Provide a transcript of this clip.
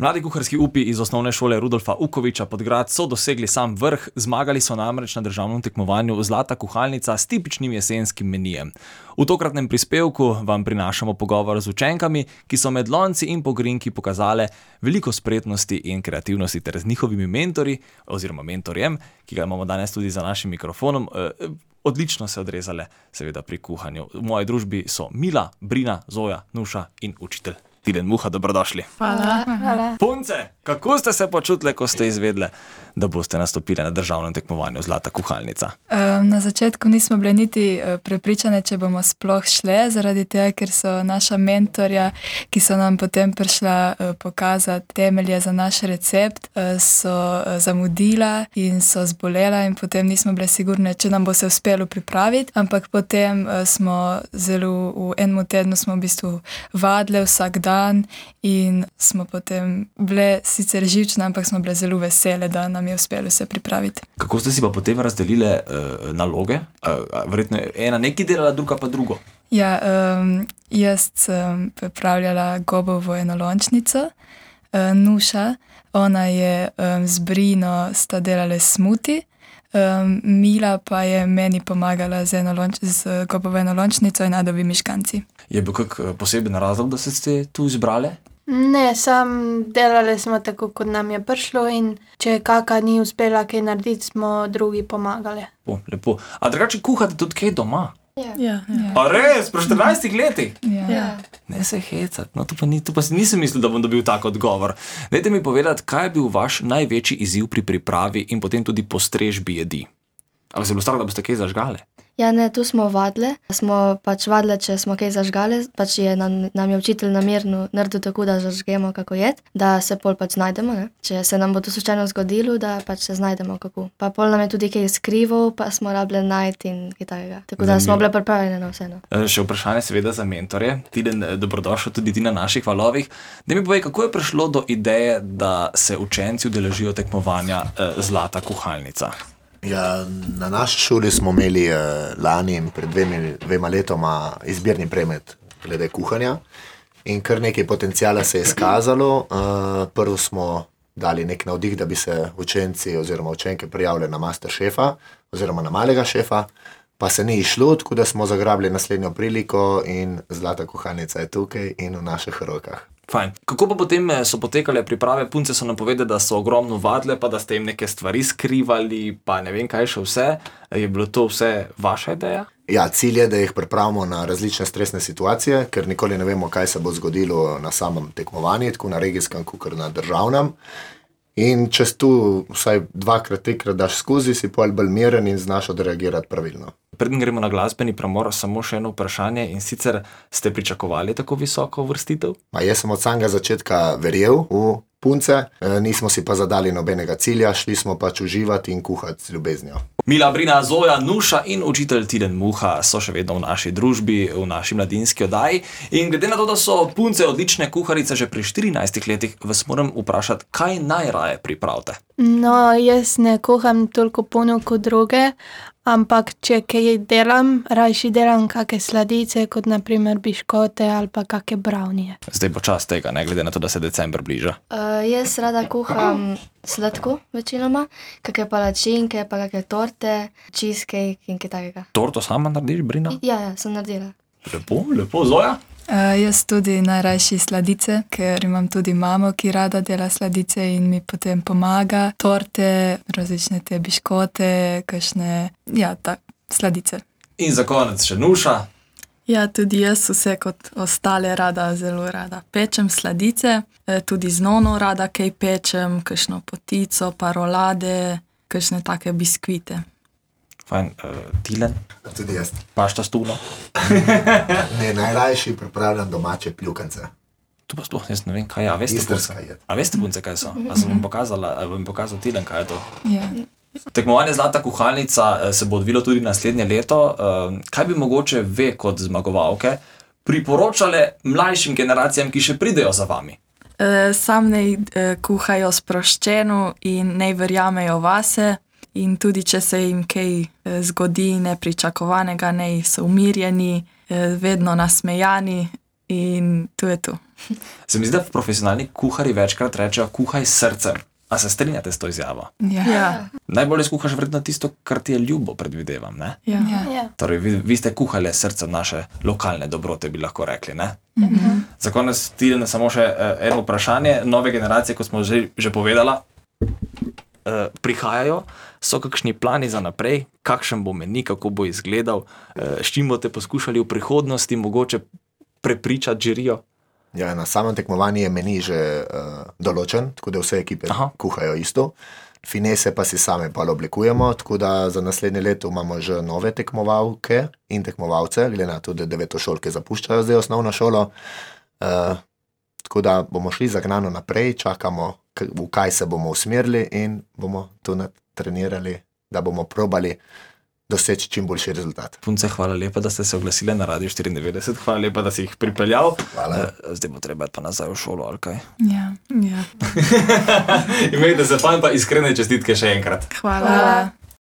Mladi kuharski upi iz osnovne šole Rudolfa Ukoviča Podgrad so dosegli sam vrh, zmagali so namreč na državnem tekmovanju Zlata kuhalnica s tipičnim jesenskim menijem. V tokratnem prispevku vam prinašamo pogovor z učenkami, ki so med lonci in pogrinjki pokazale veliko spretnosti in kreativnosti ter z njihovimi mentorji oziroma mentorjem, ki ga imamo danes tudi za našim mikrofonom, odlično se odrezale seveda pri kuhanju. V moji družbi so Mila, Brina, Zoja, Nuša in učitelj Tilen Muha. Dobrodošli. Hvala. Punce, kako ste se počutile, ko ste izvedle, da boste nastopile na državnem tekmovanju Zlata kuhalnica? Na začetku nismo bile niti prepričane, če bomo sploh šle, zaradi tega, ker so naša mentorja, ki so nam potem prišla pokazati temelje za naš recept, so zamudila in so zbolela in potem nismo bile sigurne, če nam bo se uspelo pripraviti, ampak potem smo v enem tednu smo v bistvu vadile vsak dan in smo potem bile sicer živčne, ampak smo bile zelo vesele, da nam je uspelo se pripraviti. Kako ste si pa potem razdelile naloge? Verjetno ena nekaj delala, druga pa drugo. Ja, jaz sem pripravljala gobovo enolončnico, Nuša, ona je z Brino sta delale smuti, Mila pa je meni pomagala z gobovo enolončnico in adovimi škanci. Je bil kak poseben razlog, da ste tu izbrale? Ne, sam delali smo tako, kot nam je prišlo in če kaka ni uspela kaj narediti, smo drugi pomagali. Lepo. A drugače kuhate tudi kaj doma? Ja. A res? Pri 14 letih? Ja. Ne se hecati. No, tu pa nisem mislil, da bom dobil tak odgovor. Dajte mi povedati, kaj je bil vaš največji izziv pri pripravi in potem tudi postrežbi jedi? Ali se je bilo strah, da boste kaj zažgale? Ja, ne, tu smo vadile. Smo pač vadile, če smo kaj zažgale, pač nam je učitelj namerno naredil tako, da zažgemo kako jed, da se pol pač znajdemo, ne. Če se nam bo to slučajno zgodilo, da pač se znajdemo kako. Pa pol nam je tudi kaj skrival, pa smo rabile najti in kaj takega. Tako da smo bile pripravljene na vse, no. Še vprašanje seveda za mentorje. Tilen, dobrodošel tudi ti na naših valovih. Daj mi povej, kako je prišlo do ideje, da se učenci udeležijo tekmovanja Zlata kuhalnica? Ja, na naši šoli smo imeli lani in pred dvema letoma izbirni predmet glede kuhanja in kar nekaj potencijala se je izkazalo. Prvo smo dali nek navdih, da bi se učenci oziroma učenke prijavili na Masterchefa oziroma na malega šefa, pa se ni išlo, tako da smo zagrabili naslednjo priliko in Zlata kuhalnica je tukaj in v naših rokah. Fajn. Kako pa potem so potekale priprave? Punce so nam povedali, da so ogromno vadile, pa da ste jim neke stvari skrivali, pa ne vem kaj še vse. Je bilo to vse vaša ideja? Ja, cilj je, da jih pripravimo na različne stresne situacije, ker nikoli ne vemo, kaj se bo zgodilo na samem tekmovanju, tako na regijskem, kot na državnem. In če tu vsaj dvakrat, trikrat daš skozi, si pol bolj miren in znaš odreagirati pravilno. Preden gremo na glasbeni premor, samo še eno vprašanje, in sicer ste pričakovali tako visoko uvrstitev? Jaz sem od samega začetka verjel v punce, nismo si pa zadali nobenega cilja, šli smo pač uživati in kuhati z ljubeznijo. Mila, Brina, Zoja, Nuša in učitelj Tilen Muha so še vedno v naši družbi, v naši mladinski oddaji. In glede na to, da so punce odlične kuharice že pri 14 letih, vas moram vprašati, kaj najraje pripravite? No, jaz ne kuham toliko puno kot druge, ampak če kaj delam, rajši delam kakšne sladice, kot na primer biškote ali pa kakšne brownie. Zdaj bo čas tega, ne glede na to, da se december bliža. Jaz rada kuham sladko večinoma, kakšne palačinke, pa kakšne torte, cheesecake in kaj takega. Torto sama narediš, Brina? Ja, sem naredila. Lepo, Zoja? Jaz tudi najrajši sladice, ker imam tudi mamo, ki rada dela sladice in mi potem pomaga. Torte, različne te biškote, kakšne, sladice. In za konec še Nuša. Ja, tudi jaz vse kot ostale zelo rada pečem sladice, tudi z nono rada kaj pečem, kakšno potico, pa rolade, kakšne take biskvite. Fajn, Tilen? Tudi jaz. Pašta s tuno? Ne, najrajši pripravljam domače pljukance. Tu pa sploh jaz ne vem, kaj je. A veste punce, kaj so? A sem vam pokazal Tilen, kaj je to? Ja. Tekmovanje Zlata kuhalnica se bo odvilo tudi naslednje leto. Kaj bi mogoče ve kot zmagovalke priporočale mlajšim generacijam, ki še pridejo za vami? Sam naj kuhajo sproščeno in naj verjamejo vase. In tudi, če se jim kaj zgodi nepričakovanega, naj so umirjeni, vedno nasmejani in to je to. Se mi zdi, da profesionalni kuharji večkrat rečejo, kuhaj s srcem. A se strinjate s to izjavo? Ja. Najbolje skuhaš verjetno tisto, kar ti je ljubo, predvidevam, ne? Ja. Ja. Torej, vi ste kuhali s srcem naše lokalne dobrote, bi lahko rekli, ne? Za konec Tiljana samo še eno vprašanje. Nove generacije, kot smo že povedala, prihajajo. So kakšni plani za naprej? Kakšen bo meni, kako bo izgledal? S čim boste poskušali v prihodnosti mogoče prepričati žirijo? Ja, na samem tekmovanju je meni že določen, tako da vse ekipe kuhajo isto. Finese pa si same pa oblikujemo, tako da za naslednje leto imamo že nove tekmovalke in tekmovalce, glede na to, da 9-šolke zapuščajo zdaj osnovno šolo. Tako da bomo šli zagnano naprej, čakamo, v kaj se bomo usmerili in bomo to natrenirali, da bomo probali doseči čim boljši rezultat. Punce, hvala lepa, da ste se oglasili na Radio 94, hvala lepa, da si jih pripeljal. Hvala. Zdaj bo treba pa nazaj v šolo, ali kaj? Ja. Imejte se fajn, pa iskrene čestitke še enkrat. Hvala.